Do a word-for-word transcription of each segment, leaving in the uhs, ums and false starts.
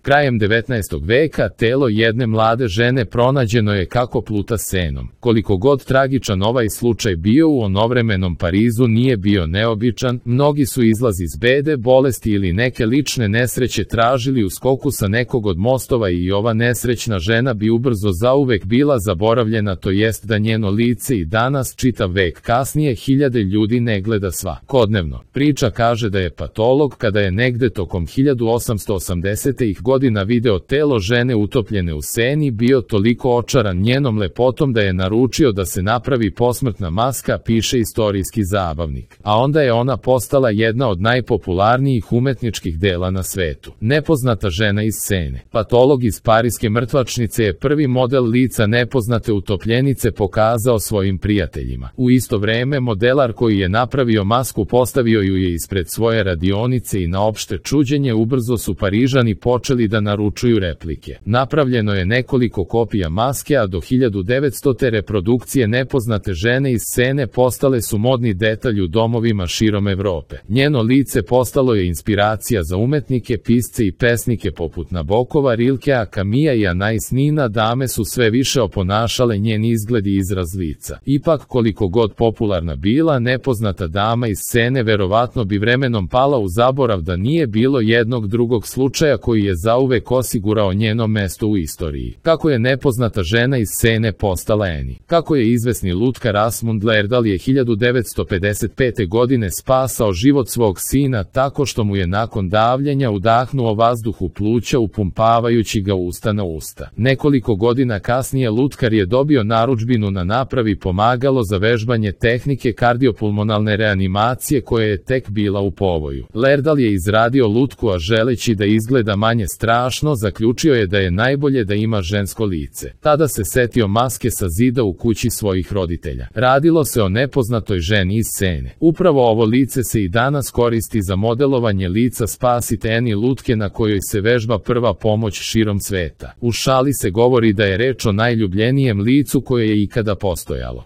Krajem devetnaestog veka telo jedne mlade žene pronađeno je kako pluta Senom. Koliko god tragičan ovaj slučaj bio, u onovremenom Parizu nije bio neobičan, mnogi su izlaz iz bede, bolesti ili neke lične nesreće tražili u skoku sa nekog od mostova i ova nesrećna žena bi ubrzo zauvek bila zaboravljena, to jest da njeno lice i danas, čitav vek kasnije, hiljade ljudi ne gleda svakodnevno. Priča kaže da je patolog, kada je negde tokom hiljadu osamsto osamdesetih godina video telo žene utopljene u Seni, bio toliko očaran njenom lepotom da je naručio da se napravi posmrtna maska, piše istorijski zabavnik. A onda je ona postala jedna od najpopularnijih umetničkih dela na svetu. Nepoznata žena iz Sene. Patolog iz parijske mrtvačnice je prvi model lica nepoznate utopljenice pokazao svojim prijateljima. U isto vreme modelar koji je napravio masku postavio ju je ispred svoje radionice i na opšte čuđenje ubrzo su Parižani počeli da naručuju replike. Napravljeno je nekoliko kopija maske, a do hiljadu devetstote reprodukcije nepoznate žene iz Sene postale su modni detalj u domovima širom Evrope. Njeno lice postalo je inspiracija za umetnike, pisce i pesnike poput Nabokova, Rilkea, Kamija i Anais Nina. Dame su sve više oponašale njen izgled i izraz lica. Ipak, koliko god popularna bila, nepoznata dama iz Sene verovatno bi vremenom pala u zaborav da nije bilo jednog drugog slučaja koji je zauvek osigurao njeno mesto u istoriji. Kako je nepoznata žena iz Sene postala Eni? Kako je izvesni lutkar Asmund Lerdahl je hiljadu devetsto pedeset pete godine spasao život svog sina tako što mu je nakon davljenja udahnuo vazduh u pluća upumpavajući ga usta na usta. Nekoliko godina kasnije lutkar je dobio narudžbinu na napravi pomagalo za vežbanje tehnike kardiopulmonalne reanimacije koja je tek bila u povoju. Lerdahl je izradio lutku, a želeći da izgleda manje strašno, zaključio je da je najbolje da ima žensko lice. Tada se setio maske sa zida u kući svojih roditelja. Radilo se o nepoznatoj ženi iz Sene. Upravo ovo lice se i danas koristi za modelovanje lica spasite Eni lutke na kojoj se vežba prva pomoć širom sveta. U šali se govori da je reč o najljubljenijem licu koje je ikada postojalo.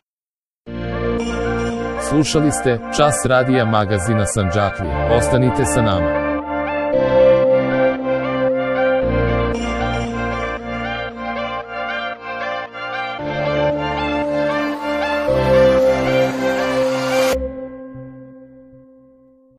Slušali ste Čas radija magazina Sandžaklija. Ostanite sa nama.